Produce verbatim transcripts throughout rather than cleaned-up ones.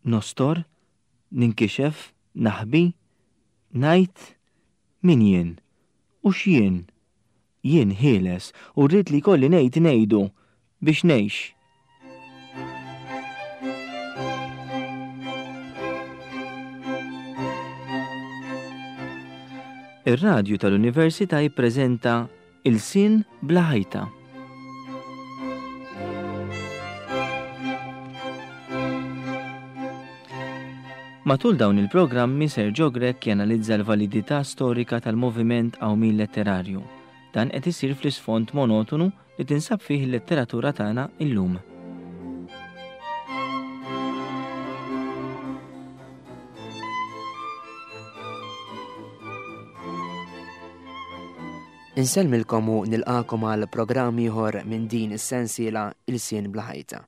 Nostor, ninkixef, naħbi, ngħid min jien u x'jien. Jien ħieles u rrid li kolli ngħid ngħidu biex ngħix. Ir-radju tal-Università jippreżenta Ilsien bla ħajta. Matul dawn il-programmi Sergio Grech janalizza l-validità storika tal-moviment qawmien letterarju. Dan qed isir fl-isfond monotonu li tinsab fih il-letteratura tagħna illum. Insellmilkom u nilqakom għal programm ieħor minn din is-sensiela Ilsien bla ħajta.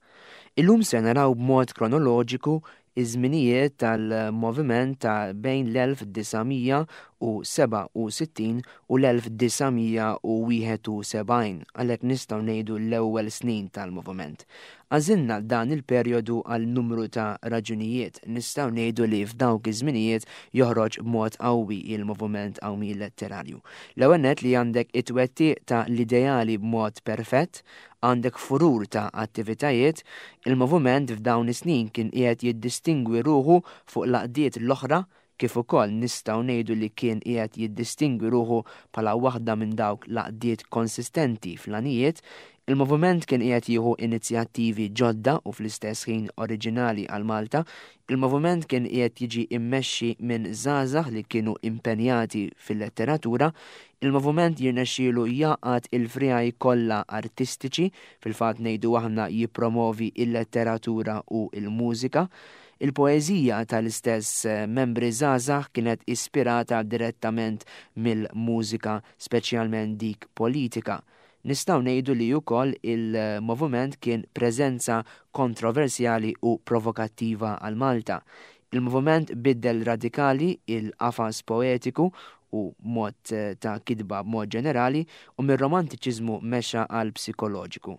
Illum se naraw b'mod kronoloġiku iż-żminijiet tal-moviment ta' bejn l-elf disa' mija u seba' u sittin u l-elf disa' mija u wieħed u sebgħin, għalhekk nistgħu ngħidu l-ewwel snin tal-moviment. Għażilna dan il-perjodu għal numru ta' raġunijiet. Nistgħu ngħidu li f'dawk iż-żminijiet joħroġ b'mod qawwi il-moviment qawmi letterarju. L-ewwel nett li għandek it-twettiq ta' l-ideali b'mod perfett, għandek furur ta' attivitajiet, il-moviment f'dawn is-snin kien qiegħed jiddistingwi ruħu fuq l-għaqdiet l-oħra, kif ukoll nistgħu ngħidu li kien qiegħed jiddistingwi ruħu bħala waħda minn dawk l-għaqdiet konsistenti fl-għanijiet. Il-moviment kien qiegħed jieħu inizjattivi ġodda u fl-istess ħin oriġinali għal Malta. Il-moviment kien qiegħed jiġi immexxi minn żgħażagħ li kienu impenjati fil-letteratura. Il-moviment jirnexxielu jaqgħad il-friegħi kollha artistiċi, fil-fatt ngħidu aħna jippromovi il-letteratura u il-mużika. Il-poeżija tal-istess membri żgħażagħ kienet ispirata direttament mill-mużika, speċjalment dik politika. Nistgħu ngħidu li wkoll il-moviment kien preżenza kontroversjali u provokattiva għal Malta. Il-moviment biddel radikali il-qafas poetiku u mod ta' kitba b'mod ġenerali u mir-romantiċiżmu mexa għal psikoloġiku.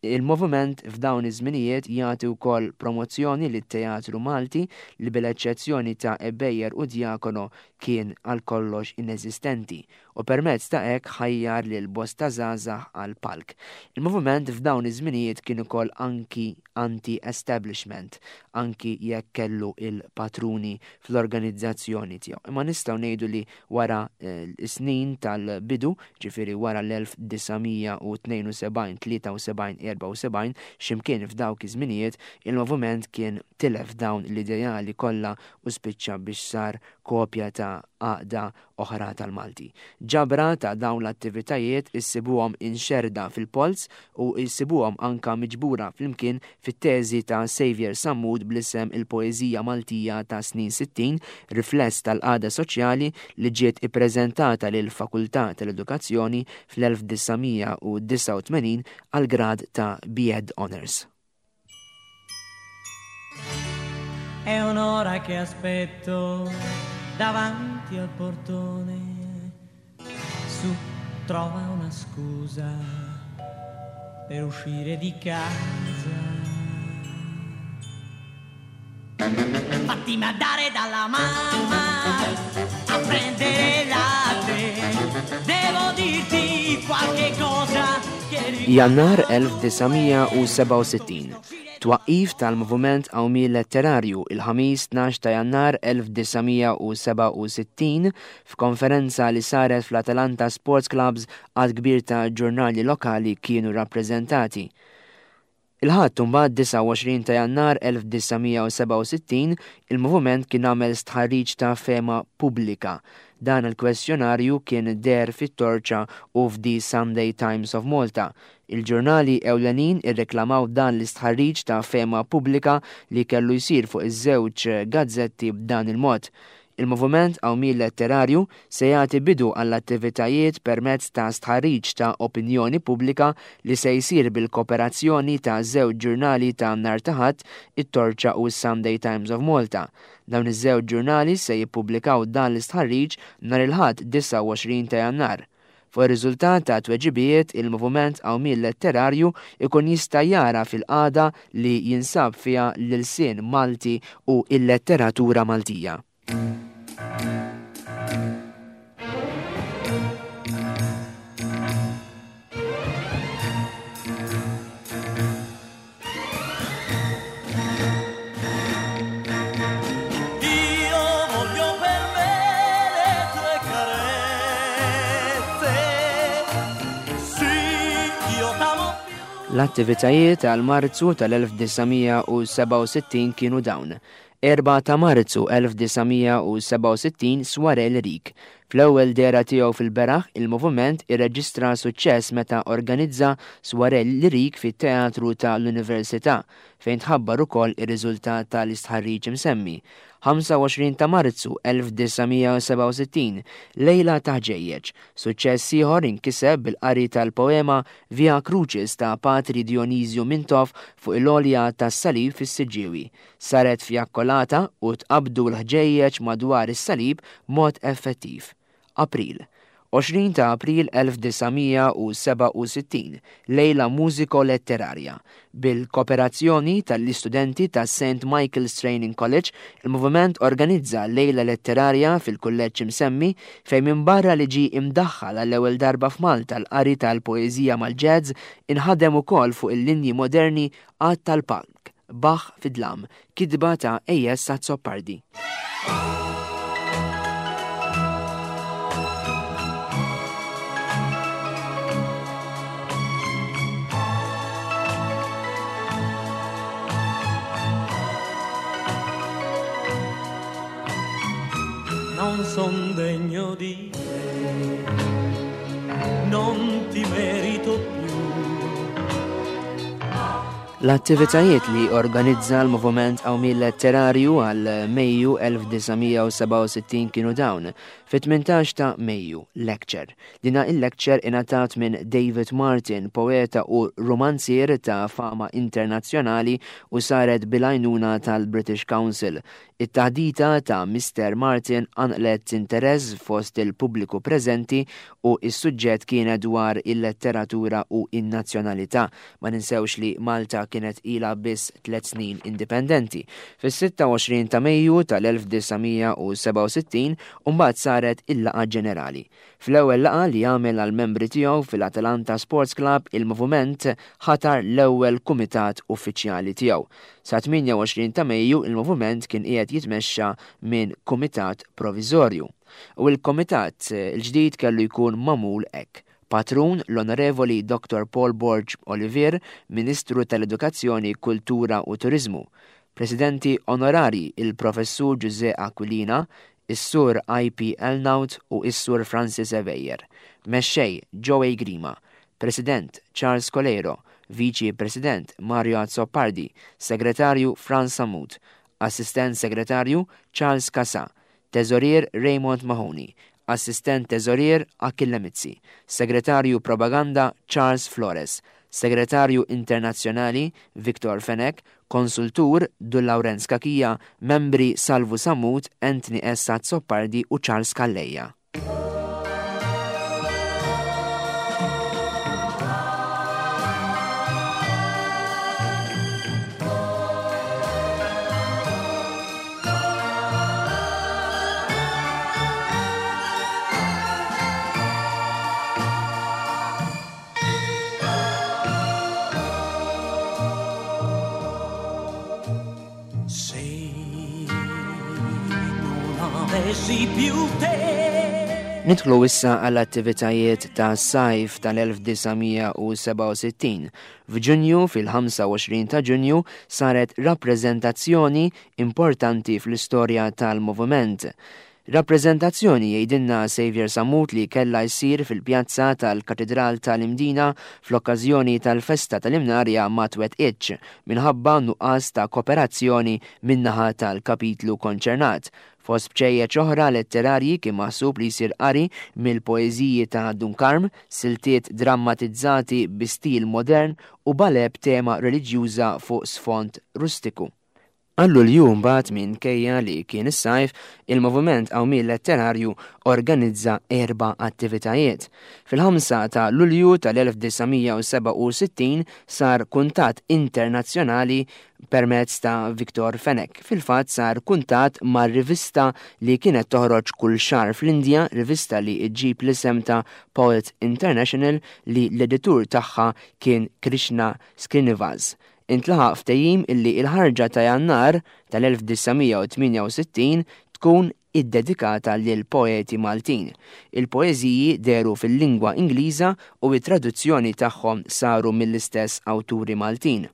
Il-moviment f'dawn iż-żminijiet jagħti wkoll promozzjoni lit-teatru Malti li bil-eċċezzjoni ta' Ebejer u Diacono kien għal kollox ineżistenti u permezz ta' hekk ħajjar lil bosta żgħażagħ għal palk. Il-moviment f'dawn iż-żminijiet kien ukoll anki anti-establishment, anki jekk kellu il-patruni fl-organizzazzjoni tiegħu. Imma nistgħu ngħidu li wara, eh, s-snin tal-bidu, ġifieri wara l-elf disa' mija u tnejn u sebgħin, tlieta u sebgħin, erba' u sebgħin, x'imkien f'dawk iż-żminijiet, il-moviment kien tilef dawn l-ideali kollha u spiċċa biex sar kopja ta' għaqda oħra tal-Malti. Ġabra ta' dawn l-attivitajiet issibuhom inxerda fil-polz u issibuhom anka miġbura flimkien fit-teżi ta' Xavier Sammut bl-isem Il-Poeżija Maltija ta' snin sittin, rifless tal-qagħda soċjali li ġiet ippreżentata lil Fakultà tal-Edukazzjoni fl-elf disa' mija u disgħa u tmenin għal grad ta' B Ed Honours. È un'ora che aspetto davanti al portone, su trova una scusa per uscire di casa. Fatti mandare dalla mamma a prendere latte, devo dirti qualche cosa che ricordo. Jannar elf disa' mija u seba' u sittin. Twaqqif tal-moviment qawmi letterarju il-ħamis tnax ta' Jannar elf disa' mija u seba' u sittin f'konferenza li saret fl-Atalanta Sports Clubs għad kbir ta' ġurnali lokali kienu rappreżentati. Il-Ħadd imbagħad disgħa u għoxrin ta' Jannar elf disa' mija u seba' u sittin il-moviment kien għamel stħarriġ ta' fema pubblika. Dan il-kwestjonarju kien deher fit-Torċa u f'The Sunday Times of Malta. Il-ġurnali ewlenin irreklamaw dan l-istħarriġ ta' fema pubblika li kellu jsir fuq iż-żewġ gazzetti b'dan il-mod. Il-moviment qawmi letterarju se jagħti bidu għall-attivitajiet permezz ta' stħarriġ ta' opinjoni pubblika li se jsir bil-kooperazzjoni ta' żewġ ġurnali ta' nhar ta' Ħadd, it-Torċa u s-Sunday Times of Malta. Dawn iż-żewġ ġurnali se jippubblikaw dan l-istħarriġ nhar il-Ħadd disgħa u għoxrin ta' Jannar. Fuq ir-riżultat ta' tweġibiet, il-Moviment Qawmien Letterarju ikun jista' jara fil-qagħda li jinsab fiha l-ilsien Malti u l-letteratura Maltija. Io voglio per me le tue carezze. Sì, io t'amo più. L-attivitajiet għal Marzu tal-elf disa' mija u sebgħa u sittin kienu dawn. Erbgħa ta' Marzu elf disa' mija u sebgħa u sittin Soirée Lyrique. Fl-ewwel dehra tiegħu fil-beraħ, il-moviment irreġistra suċċess meta organizza Soirée Lyrique fit-Teatru tal-Università, fejn tħabbar ukoll ir-riżultat tal-istħarriġ imsemmi. ħamsa u għoxrin ta' Marzu elf disa' mija u sebgħa u sittin, Lejla ta' Ħġejjeġ. Suċċess ieħor inkiseb bil-qari tal-poema Via Crucis ta' Patri Dionisio Mintoff fuq il-għolja tas-Salib fis-Siġġiewi. Saret fjakkolata u tqabdu l-ħġejjeġ madwar is-salib b'mod effettiv. April. Għoxrin ta' April elf disa' mija u sebgħa u sittin, Lejla Mużiko Letterarja. Bil-kooperazzjoni tal-istudenti ta' Saint Michael's Training College, il-moviment organizza Lejla Letterarja fil-kulleġġ imsemmi fejn minbarra li ġie imdaħħal għall-ewwel darba f'Malta l-qari tal-poeżija mal-jazz, inħadem ukoll fuq il-linji moderni għad tal-palk, Bach fid-dlam, kitba ta' A S Azzopardi. Non son degno di te, non ti merito più. L-attivitajiet li organizza l-Moviment Qawmien Letterarju għal Mejju elf disa' mija u sebgħa u sittin kienu dawn. Fit-tmintax ta' Mejju, lecture. Dina il-lecture ingħatat minn David Martin, poeta u romanzier ta' fama internazzjonali u saret bil-għajnuna tal-British Council. It-taħdita ta' Mister Martin qanqlet interess fost il-pubbliku preżenti u s-suġġett kienet dwar il-letteratura u in-nazzjonalità. Ma ninsewx li Malta kienet ilha biss tliet snin indipendenti. Fis-sitta u għoxrin ta' Mejju tal-elf disa' mija u sebgħa u sittin u mbagħad saret il-laqgħa ġenerali. Fl-ewwel laqgħa li għamel għall-membri tiegħu fil-Atalanta Sports Club, il-moviment ħatar l-ewwel kumitat uffiċjali tiegħu. Sa tmienja u għoxrin ta' Mejju il-moviment kien qiegħed jitmexxa minn kumitat proviżorju. U l-kumitat il-ġdid kellu jkun magħmul hekk. Patrun l-Onorevoli Doktor Paul Borg Olivier, Ministru tal-Edukazzjoni, Kultura u Turizmu. Presidenti onorari il-Professur Giuseppe Aquilina, is-Sur I P Elnaut u is-Sur Francis Evejer. Mexxej Joey Grima, President Charles Coleiro, Viċi President Mario Azzopardi, Segretarju Franz Sammut, Assistent Segretarju Charles Casa, Teżorier Raymond Mahoney, Assistent Teżorier Achille Mizzi, Segretarju Propaganda Charles Flores, Segretarju Internazzjonali Victor Fenech, Konsultur Dun Lawrenz Cachia, Membri Salvu Sammut, Anthony S. Azzopardi u Charles Calleja. Nidħlu issa għall-attivitajiet ta' sajf tal-elf disa' mija u sebgħa u sittin. F'Ġunju, fil-ħamsa u għoxrin ta' Ġunju, saret rappreżentazzjoni importanti fl-istorja tal-moviment. Rappreżentazzjoni jgħidilna Xavier Sammut li kellha jsir fil-pjazza tal-Katedral tal-Imdina fl-okkażjoni tal-festa tal-Imnarja ma twettqitx minħabba nuqqas ta' kooperazzjoni min-naħa tal-kapitlu konċernat. Fost bċejjeċ oħra letterarji kien maħsub li jsir qari mill-poeżiji ta' Dun Karm, siltiet drammatizzati bi stil modern u ballet b'tema reliġjuża fuq sfond rustiku. Għal Lulju mbagħad, minkejja li kien is-sajf, il-Moviment Qawmien Letterarju organizza erba' attivitajiet. Fil-ħamsa ta' Lulju tal-elf disa' mija u sebgħa u sittin sar kuntatt internazzjonali permezz ta' Victor Fenech. Fil-fatt sar kuntatt mar rivista li kienet toħroġ kull xahar fl-Indja, rivista li ġġib l-isem ta' Poet International, li l-editur tagħha kien Krishna Srinivas. Intlaħaq ftehim illi il-ħarġa ta' Jannar tal-elf disa' mija u tmienja u sittin tkun iddedikata lil poeti Maltin. Il-poeżiji dehru fil-lingwa Ingliża u it-traduzzjoni tagħhom saru mill-istess awturi Maltin.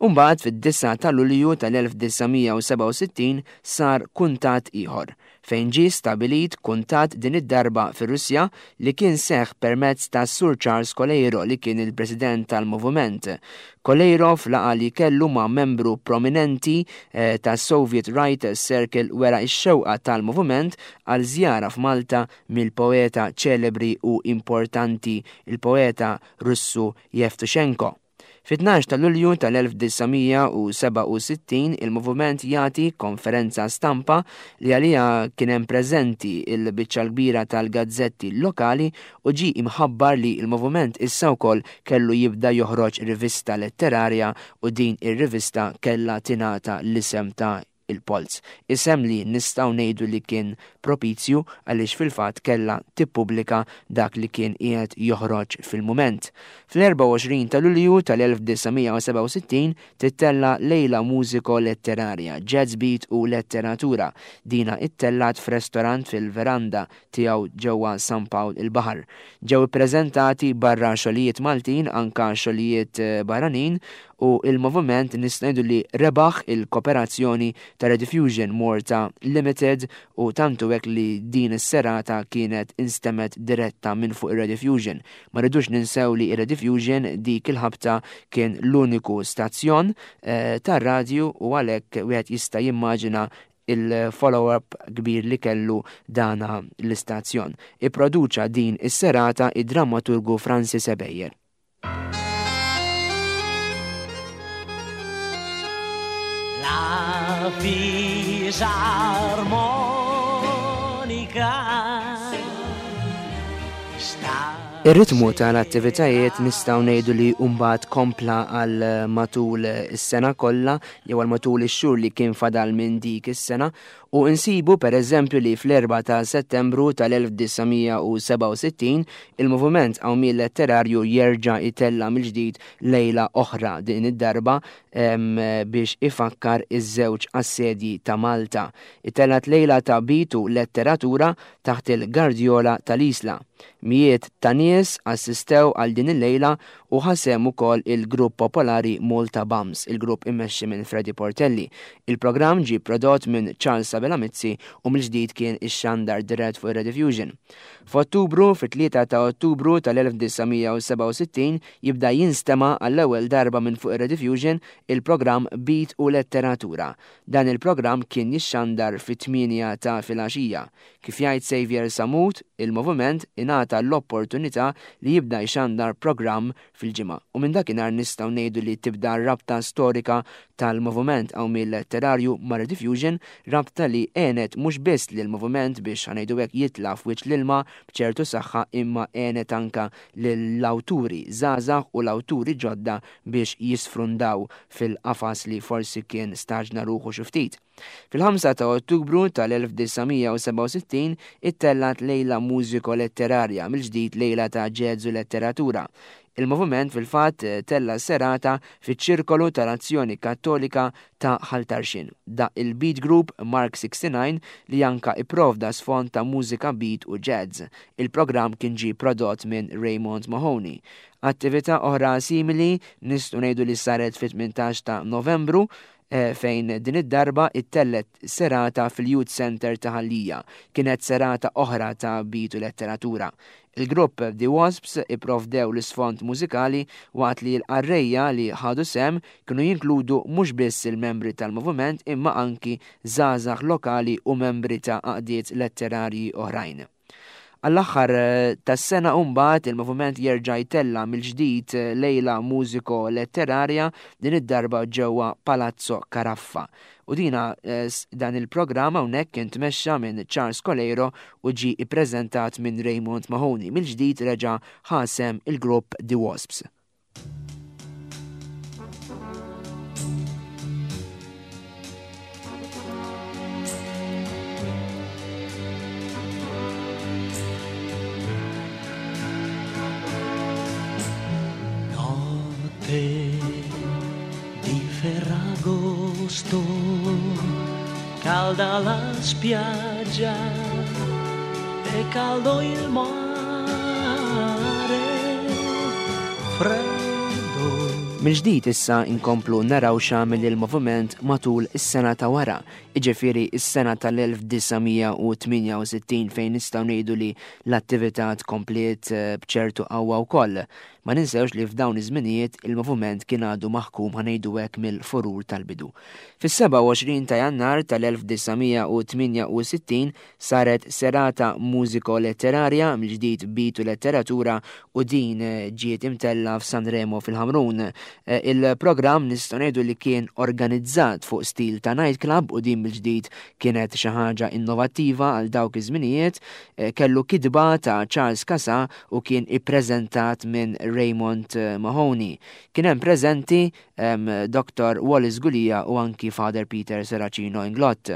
Umbagħad fid-disgħa ta' Lulju tal-elf disa' mija u sebgħa u sittin sar kuntatt ieħor, fejn ġie stabilit kuntatt din id-darba fir-Russja li kien seħ permezz ta' Sur Charles Coleiro, li kien il-president tal-moviment. Coleiro, f'laqgħa li kellu ma' membru prominenti eh, ta' Soviet Writers Circle, wera x-xewqa tal-moviment għal żjara f'Malta mill-poeta ċelebri u importanti, il-poeta Russu Yevtushenko. Fit-tnax ta' Lulju tal-elf disa' mija u sebgħa u sittin il-moviment jagħti konferenza stampa li għalija kien hemm preżenti il-biċċa kbira tal-gazzetti lokali u ġi imħabbar li il-moviment issa wkoll kellu jibda joħroġ rivista letterarja u din ir-rivista kellha tingħata l-isem ta' Il-Polz. Isem li nistgħu ngħidu li kien propizju għaliex fil-fatt kella tippubblika dak li kien qiegħed joħroġ fil-mument. Fl-erbgħa u għoxrin ta' Lulju tal-elf disa' mija u sebgħa u sittin tittella lejla mużiko letterarja, jazz beat u letteratura. Dina ittellat f'restorant fil-veranda tiegħu ġewwa San Pawl il-Baħar. Ġew ippreżentati barra xogħlijiet Maltin anka xogħlijiet eh, barranin u il-moviment nistgħu ngħidu li rebaħ il-kooperazzjoni ta' Rediffusion Malta Limited, u tantu hekk li din is-serata kienet instemgħet diretta minn fuq ir-Rediffusion. Ma rridux ninsew li ir-Rediffusion dik il-ħabta kien l-uniku stazzjon eh, tar-radju u għalhekk wieħed jista' jimmaġina il-follow-up kbir li kellu dana l-istazzjon. Ipproduċa din is-serata id-drammaturgu Francis Ebejer. La fisarmonica sta Ir-ritmu tal-attivitajiet nistgħu ngħidu li mbagħad kompla għal matul is-sena kollha jew għal matul ix-xhur li kien fadal minn dik is-sena, u insibu per eżempju li fl-erbgħa ta' Settembru tal-elf disa' mija u sebgħa u sittin il-moviment Qawmien Letterarju jerġa' itella mill-ġdid lejla oħra, din id-darba em, biex ifakkar iż-żewġ assedji ta' Malta. Ittellat lejla ta' beat u letteratura taħt il-Gardjola tal-Isla. Mijiet ta' nies assistew għal din il-lejla u ħa sehem ukoll il-grupp popolari Malta Bums, il-grupp immexxi minn Freddy Portelli. Il-programm ġi prodott minn Charles Abela Mizzi u mill-ġdid kien ixxandar dirett fuq Rediffusion. F'Ottubru, fit-tlieta ta' Ottubru tal-elf disa' mija u sebgħa u sittin jibda jinstema għall-ewwel darba minn fuq Rediffusion il-programm Beat u Letteratura. Dan il-programm kien jixxandar fit-tmienja ta' filgħaxija. Kif jgħid Xavier Samut, il-moviment ingħata l-opportunità li jibda jxandar programm fil-ġimgħa. U minn dakinhar nistgħu ngħidu li tibda rabta storika tal-moviment Qawmien Letterarju ma' Rediffusion, rabta li għenet mhux biss lil moviment biex, ħa ngħidu hekk, jitla' f'wiċċ l-ilma b'ċertu saħħa, imma għenet anka lill-awturi żgħażagħ u l-awturi ġodda biex jisfrundaw fil-qafas li forsi kien staġna ruħu xi ftit. Fil-ħamsa ta' Ottubru tal-elf disa' mija u sebgħa u sittin ittellat lejla mużiko letterarja, mill-ġdid lejla ta' jazz u letteratura. Il-moviment fil-fatt tella serata fiċ-ċirkolu tal-Azzjoni Kattolika ta' Ħal Tarxien. Daqq il-Beat Group Mark sixty-nine li anka ipprovda sfond ta' mużika beat u jazz. Il-programm kien ġi prodott minn Raymond Mahoney. Attività oħra simili nistgħu ngħidu li saret fit-tmintax ta' Novembru eh, fejn din id-darba ittellet serata fil-Youth Center ta' Ħal Lija. Kienet serata oħra ta' beat u letteratura. Il-grupp The Wasps ipprovdew l-isfond mużikali waqt li l-qarrejja li ħadu sehem kienu jinkludu mhux biss il-membri tal-moviment imma anki żgħażagħ lokali u membri ta' għaqdiet letterarji oħrajn. Għall-aħħar eh, tas-sena mbagħad il-moviment jerġa' jtella mill-ġdid eh, lejla mużiko letterarja, din id-darba ġewwa Palazzo Caraffa. U dina eh, dan il-programm hawnhekk kien tmexxa minn Charles Coleiro u ġie ippreżentat minn Raymond Mahoney. Mill-ġdid reġa' ħa sehem il-grupp The Wasps. Notte di Ferragosto, calda la spiaggia e caldo il mare, freddo. Mill-ġdid issa inkomplu naraw x'għamel il-moviment matul is-sena ta' wara, jiġifieri is-sena tal-elf disa' mija u tmienja u sittin fejn nistgħu ngħidu li l-attività tkompliet, eh, b'ċertu qawwa wkoll. Ma ninsewx li f'dawn iż-żminijiet il-moviment kien għadu maħkum ħa ngħidu hekk mill-furur tal-bidu. Fis-sebgħa u għoxrin ta' Jannar tal-elf disa' mija u tmienja u sittin saret serata mużiko-letterarja mill-ġdid bitu letteratura u din ġiet imtella f'Sanremo fil-Ħamrun. Eh, il-programm nistgħu ngħidu li kien organizzat fuq stil ta' nightclub u din mill-ġdid kienet xi ħaġa innovattiva għal dawk iż-żminijiet. Eh, kellu kitba ta' Charles Casà u kien ippreżentat minn Raymond Mahoney. Kien hemm preżenti, em, Doktor Wallace Gulia u anki Father Peter Serracino Inglott.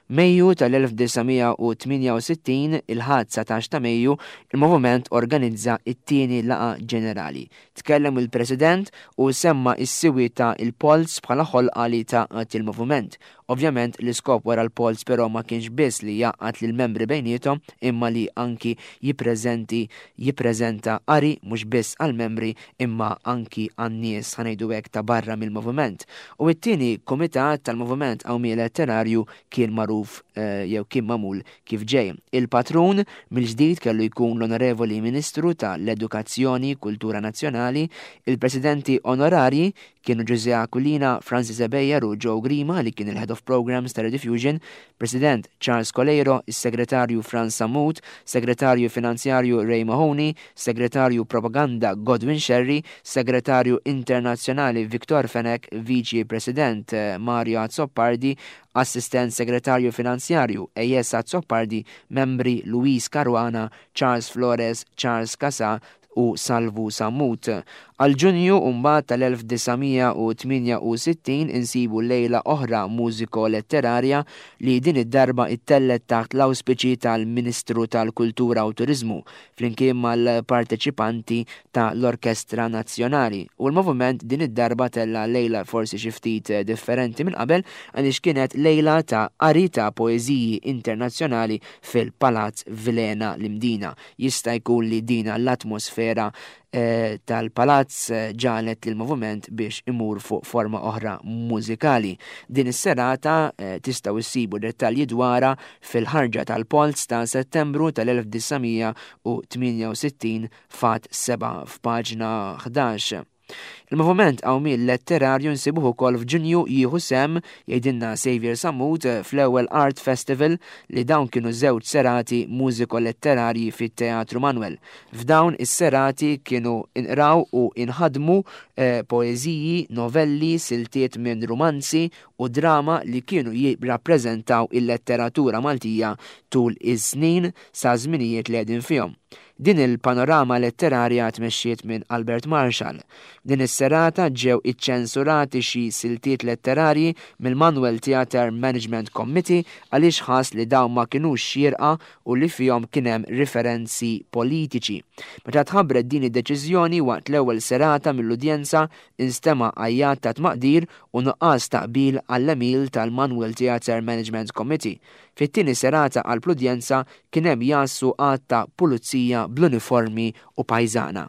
Mejju tal-elf disa' mija u tmienja u sittin, il-Ħadd satax ta' Mejju, il-moviment organizza it-tieni laqgħa ġenerali. Tkellem il-President u semma s-siwi ta' il-Polz bħala ħolqa li tgħaqqad il-moviment. Ovvjament l-iskop wara l-Polz però ma kienx biss li jgħaqqad lill-membri bejniethom, imma li anki jippreżenti, jippreżenta qari mhux biss għall-membri imma anki għan-nies ħa ngħidu hekk ta' barra mill-moviment. U t-tieni kumitat tal-moviment Qawmien Letterarju kien magħruf, eh, jew kien magħmul kif ġej. Il-patrun mill-ġdid kellu jkun l-Onorevoli Ministru tal-Edukazzjoni Kultura Nazzjonali, il-Presidenti Onorarji kienu Ġużè Aquilina, Francis Ebejer u Joe Grima li kien il-Head of Programs ta' Rediffusion, President Charles Coleiro, is-Segretarju Franz Sammut, Segretarju Finanzjarju Ray Mahoney, Segretarju Propaganda Godwin Scerri, Segretarju Internazzjonali Victor Fenech, Viċi President, eh, Mario Azzopardi, Assistent Segretarju Finanzjarju Ejjes Azzopardi, membri Luis Caruana, Charles Flores, Charles Casà u Salvu Sammut. Għal Ġunju mbagħad tal-elf disa' mija u tmienja u sittin insibu lejla oħra mużiko-letterarja li din id-darba ittellet taħt l-awspiċi tal-Ministru tal-Kultura u Turizmu flimkien mal-parteċipanti ta' l-Orkestra Nazzjonali. U l-moviment din id-darba tella lejla forsi xi ftit differenti minn qabel għaliex kienet lejla ta' qari ta' poeżiji internazzjonali fil-Palazz Vilhena l-Imdina. Jista' jkun li dina l-atmosfera, eh, tal-palazz, eh, ġalet lil moviment biex imur fuq forma oħra mużikali. Din is-serata, eh, tistgħu issibu dettalji dwarha fil-ħarġa tal-Polz ta' Settembru tal-elf disa' mija u tmienja u sittin fat seba' f'paġna ħdax. Il-moviment Qawmien Letterarju nsibuh ukoll f'Ġunju jieħu sem, jgħidilna Xavier Sammut, fl-ewwel Art Festival li dawn kienu żewġ serati mużiko-letterarji fit-Teatru Manuel. F'dawn is-serati kienu inqraw u inħadmu, eh, poeżiji, novelli, siltiet minn rumanzi u drama li kienu jirrappreżentaw il-letteratura Maltija tul iż-snin sa żminijiet li qegħdin fihom. Din il-panorama letterarja tmexxiet minn Albert Marshall. Din is-serata ġew iċċensurati xi siltiet letterarji mill-Manuel Theatre Management Committee għaliex ħass li dawn ma kinux xierqa u li fihom kien hemm riferenzi politiċi. Meta tħabbret din id-deċiżjoni waqt l-ewwel serata mill-udjenza instema' għajjat ta' tmaqdir u nuqqas ta' qbil għall-għemil tal-Manuel Theatre Management Committee. Fit-tieni serata għall-udjenza kien hemm jassu għadd ta' pulizija bl-uniformi u pajżana.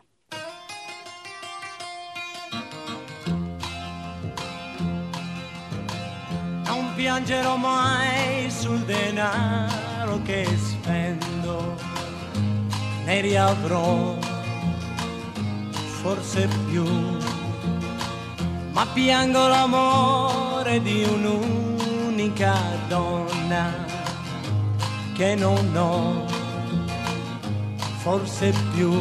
Non piangerò mai sul denaro che spendo, ne riavrò forse più, ma piango l'amore di un'unica donna che non ho forse più.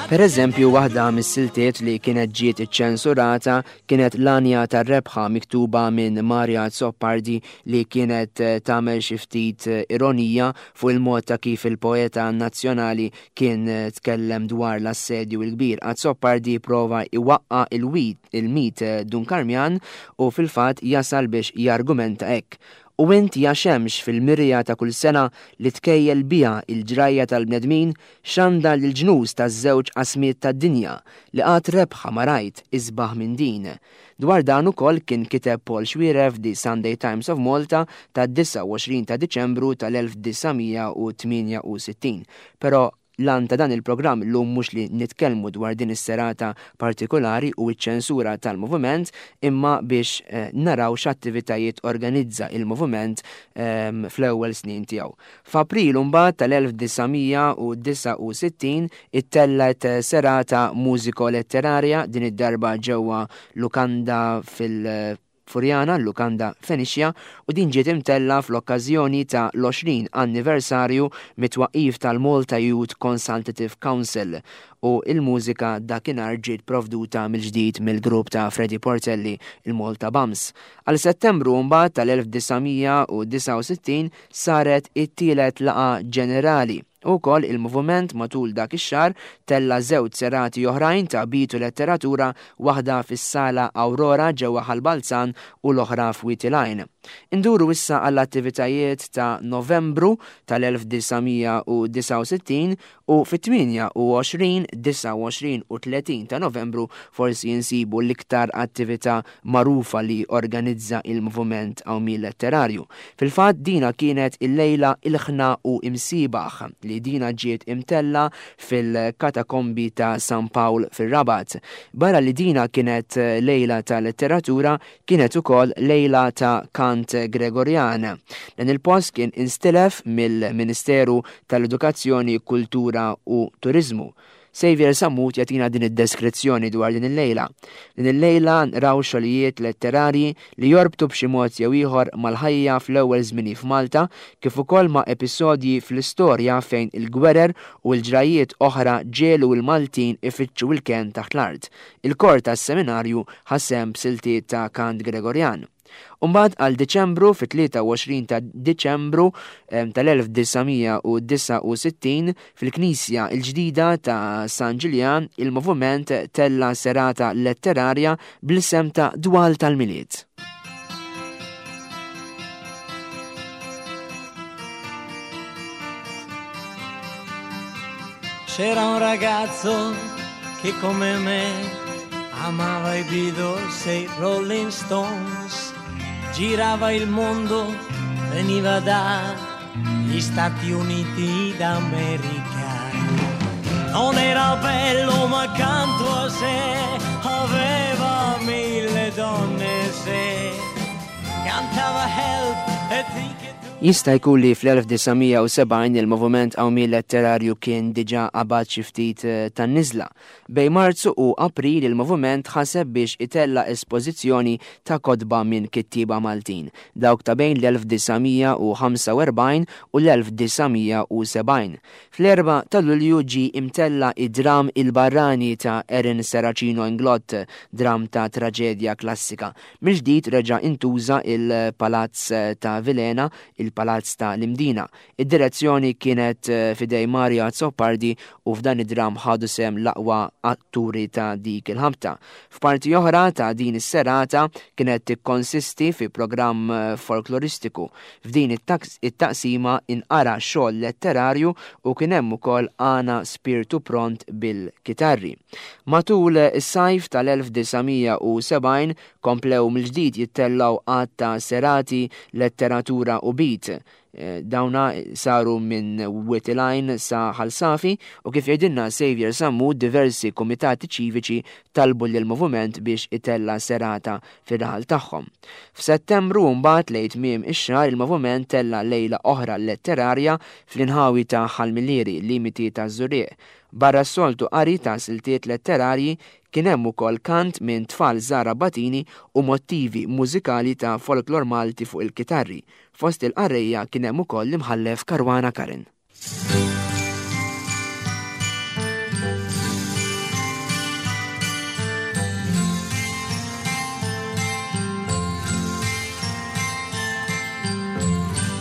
Per eżempju, waħda mis-siltiet li kienet ġiet iċċensurata kienet l-Għanja tar-Rebħa miktuba minn Mario Azzopardi li kienet eh, tagħmel xi ftit eh, ironija fuq il-mod ta' kif il-poeta nazzjonali kien eh, tkellem dwar l-assedju il-kbir. Azzopardi prova iwaqqa il-wit il-mit Dun Karmjan u fil-fatt jasal biex jargumenta hekk. U int ja xemx fil-mirja ta' kull sena li tkejjel biha il-ġrajja tal-bnedmin xandar lill-ġnus taż-żewġ qasmiet tad-dinja li qatt rebħa ma rajt isbaħ minn din. Dwar dan ukoll kien kiteb Paul Xuereb The Sunday Times of Malta ta' disgħa u għoxrin ta' Diċembru tal-elf disa' mija u tmienja u sittin. Però l-għan ta' dan il-programm illum mhux li nitkellmu dwar din is-serata partikolari u ċ-ċensura tal-moviment, imma biex eh, naraw x'attivitajiet organizza il-moviment eh, fl-ewwel snin tiegħu. F'April mbagħad tal-elf disa' mija u disgħa u sittin ittellgħet serata mużiko-letterarja, din id-darba ġewwa lukanda fil- Furjana, Lukanda Fenicia, u din ġiet imtella fl-okkażjoni ta' l-għoxrin anniversarju mit-twaqif tal-Malta Youth Consultative Council, u il-mużika dakinhar ġiet provduta mill-ġdid mill-grupp ta' Freddy Portelli, il-Malta Bums. Għal Settembru mbagħad tal-elf disa' mija u disgħa u sittin saret it-tielet laqgħa ġenerali. Ukoll il-moviment matul dak ix-xahar tella żewġ serati oħrajn ta' beat u letteratura, waħda fis-sala Aurora ġewwa Ħal Balzan u l-oħra f'Wied il-Għajn. Induru issa għall-attivitajiet ta' Novembru tal-elf disa' mija u disgħa u sittin u fit-tmienja u għoxrin, disgħa u għoxrin u tletin ta' Novembru forsi jinsibu l-iktar attività magħrufa li organizza il-moviment Qawmien Letterarju. Fil-fatt dina kienet il-lejla Ilħna u Imsibaħ li dina ġiet imtella fil-katakombi ta' San Pawl fil-Rabat. Barra li dina kienet lejla ta' letteratura, kienet ukoll lejla ta' kant Gregorjan. Dan il-post kien instilef mill-Ministeru tal-Edukazzjoni, Kultura u Turizmu. Xavier Sammut jagħtina din id-deskrizzjoni dwar din il-lejla. Din il-lejla raw xogħlijiet letterarji li jorbtu b'xi mod jew ieħor mal-ħajja fl-ewwel żmini f'Malta, kif ukoll ma' episodji fl-istorja fejn il-gwerer u l-ġrajiet oħra ġiegħlu l-Maltin ifittxu il-ken taħt l-art. Il-kor tas-seminarju ħa sehem b'siltiet ta' kant Gregorjan. Umbagħad għal Diċembru, fit-tlieta u għoxrin ta' Diċembru tal-elf disa' mija u disgħa u sittin fil-Knisja il-ġdida ta' San Ġiljan, il-moviment tella serata letterarja bl-isem ta' Dwal tal-Milied. C'era un ragazzo che come me amava i Beatles e i Rolling Stones, girava il mondo, veniva dagli Stati Uniti d'America. Non era bello ma accanto a sé aveva mille donne, se cantava Help e think Jista' jkun li fl-elf disa' mija u sebgħin il-moviment Qawmien Letterarju kien diġà qabad xi ftit eh, tan-niżla. Bejn Marzu u April il-moviment ħaseb biex itella espożizzjoni ta' kotba minn kittieba Maltin, dawk ta' bejn l-elf disa' mija u ħamsa u erbgħin u l-elf disa' mija u sebgħin. Fl-erbgħa ta' Lulju ġi imtella id-dram Il-Barrani ta' Erin Serracino Inglott, dram ta' traġedja klassika. Mill-ġdid reġa' intuża il-Palazz ta' Vilhena, il-Palazz ta' l-Imdina. Id-direzzjoni kienet eh, f'idejn Mario Azzopardi u f'dan id-dram ħadu sehem l-aqwa atturi ta' dik il-ħabta. F'parti oħra ta' din is-serata kienet tikkonsisti fi programm eh, folkloristiku. F'din it-taqsima inqara xogħol letterarju u kien hemm ukoll għana spirtu pront bil-kitarri. Matul is-sajf tal-elf disa' mija u sebgħin komplew mill-ġdid jittellaw għadd ta' serati letteratura u beat. Eh, dawna saru minn Wied il-Għajn sa Ħal Safi u kif jgħidilna Xavier Sammut, diversi komitati ċiviċi talbu lill moviment biex itella serata fir-raħal tagħhom. F'Settembru mbagħad lejn tmiem ix-xahar il-moviment tella lejla oħra letterarja fl-inħawi ta' Ħal Millieri, limiti ta' Żurrieq. Barra s-soltu qari ta' siltiet letterarji kien hemm ukoll kant minn tfal żgħar Abbatini u motivi mużikali ta' folklor Malti fuq il-kitarri. Fost il-qarrejja kien hemm ukoll l-imħallef Caruana Curran.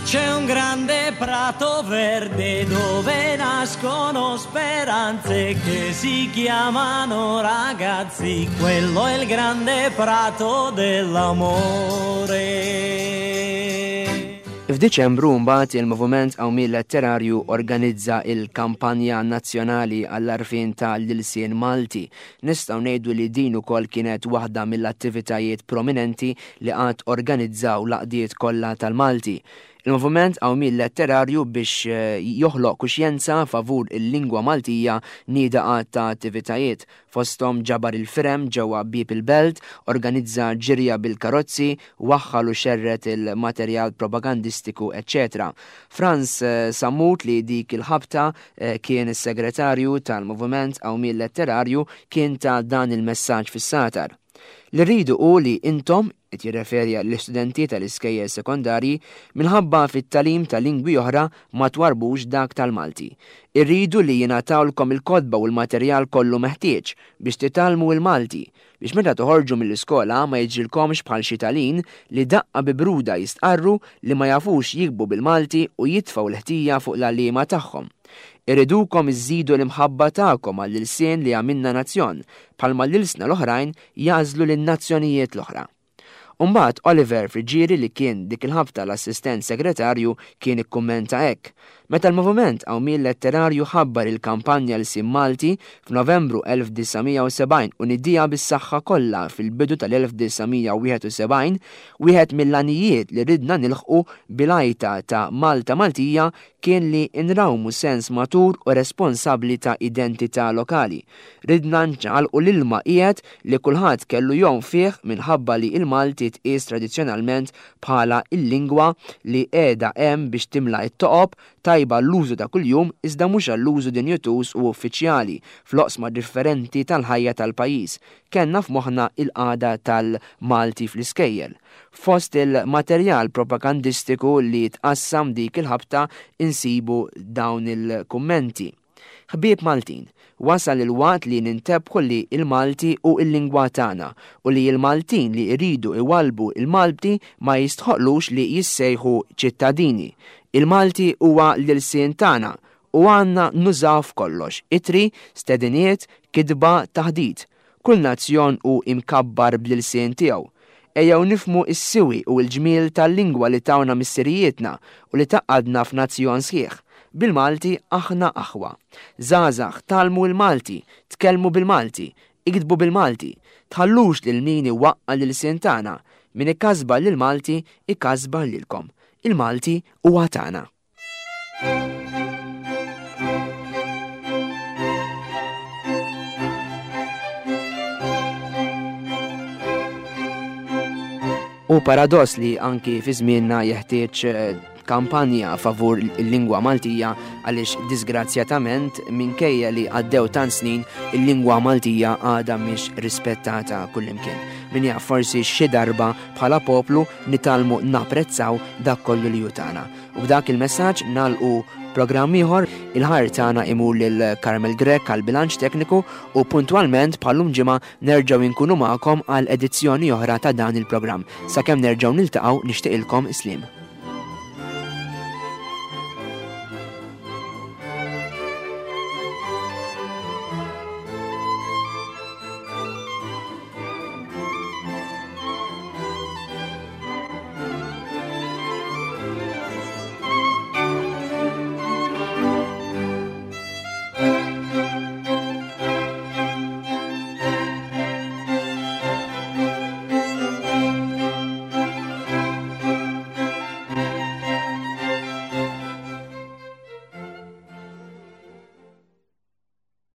C'è un grande prato verde dove nascono speranze che si chiamano ragazzi, quello è il grande prato dell'amore. F'Diċembru mbagħad il-Moviment Qawmien Letterarju organizza il-kampanja nazzjonali għall-għarfien tal-ilsien Malti. Nistgħu ngħidu li din ukoll kienet waħda mill-attivitajiet prominenti li qatt organizzaw l-għaqdiet kollha tal-Malti. Il-Moviment Qawmien Letterarju biex eh, joħloq kuxjenza favur il-lingwa Maltija nieda għadd ta' attivitajiet. Fosthom ġabar il-firem ġewwa Bieb il-Belt, organizza ġirja bil-karozzi, waħħal u xerred il-materjal propagandistiku, eċċetera. Franz eh, Sammut li dik il-ħabta eh, kien is-segretarju tal-Moviment Qawmien Letterarju kien ta dan il-messaġġ fis-Sagħtar. Li rridu hu li intom, qed jirreferi għall-istudenti tal-iskejjel sekondarji, minħabba fit-tagħlim ta' lingwi oħra ma twarbux dak tal-Malti. Irridu li jingħatawlkom il-kotba u l-materjal kollu meħtieġ biex titgħallmu l-Malti, biex meta toħorġu mill-iskola ma jiġrilkomx bħal xi talin li daqqa bi bruda jistqarru li ma jafux jiktbu bil-Malti u jitfgħu l-ħtija fuq l-għalliema tagħhom. Irridukom iżidu l-imħabba tagħkom għall-ilsien li għamilna nazzjon, bħalma l-ilsna l-oħrajn jagħżlu lin-nazzjonijiet l-oħra. Umbagħad Oliver Friggieri li kien dik il-ħabta l-assistent segretarju kien ikkummenta hekk. Meta l-Moviment Qawmien Letterarju ħabbar il-kampanja Lsien Malti f'Novembru elf disa' mija u sebgħin u nidija bis-saħħa kollha fil-bidu tal-elf disa' mija u wieħed u sebgħin, wieħed mill-għanijiet li ridna nilħqu bil-għajta ta' Malta Maltija kien li nrawmu sens matur u responsabbli ta' identità lokali. Ridna nċaqalqu l-ilma qiegħed li kulħadd kellu jom fih minħabba li il-Malti tqies tradizzjonalment bħala il-lingwa li qiegħda hemm biex timla t-toqob, tajba l-użu ta' kuljum iżda mhux għall-użu dinjituż u uffiċjali fl-oqsma differenti tal-ħajja tal-pajjiż. Kellna f'moħħna il-qagħda tal-Malti fl-iskejjel. Fost il-materjal propagandistiku li tqassam dik il-ħabta insibu dawn il-kummenti. Ħbieb Maltin, wasal il-waqt li nintebħu li il-Malti u il-lingwa tagħna u li il-Maltin li jridu iwalbu il-Malti ma jistħoqlux li jissejħu ċittadini. Il-Malti huwa l-ilsien tagħna u għandna nużaw f'kollox, itri, stediniet, kidba, taħdid. Kull nazzjon hu imkabbar bl-ilsien tiegħu. Ejjew nifhmu s-siwi u l-ġmiel tal-lingwa li tawna missirijietna u li tgħaqqadna f'nazzjon sħiħ. Bil-Malti aħna aħwa. Żgħażagħ tgħallmu l-Malti, tkellmu bil-Malti, iktbu bil-Malti, tħallux lil min iwaqqa' l-ilsien tagħna, min ikkasba lil Malti ikkasba lilkom. Il-Malti huwa tagħna. U paradoss li anki fi żmienna jeħtieġ, eh, kampanja favur il-lingwa Maltija għaliex disgrazzjatament minkejja li għaddew tant snin il-lingwa Maltija għadha mhix rispettata kullimkien. Min jaf forsi xi darba bħala poplu nitgħallmu napprezzaw dak kollu li hu tagħna. U b'dak il-messaġġ nagħlqu programm ieħor. Il-ħajr tagħna imur lil Carmel Grech għal bilanċ tekniku u puntwalment bħallum ġimgħa nerġgħu nkunu magħkom għal edizzjoni oħra ta' dan il-programm. Sakemm nerġgħu niltaqgħu nixtieqilkom sliem.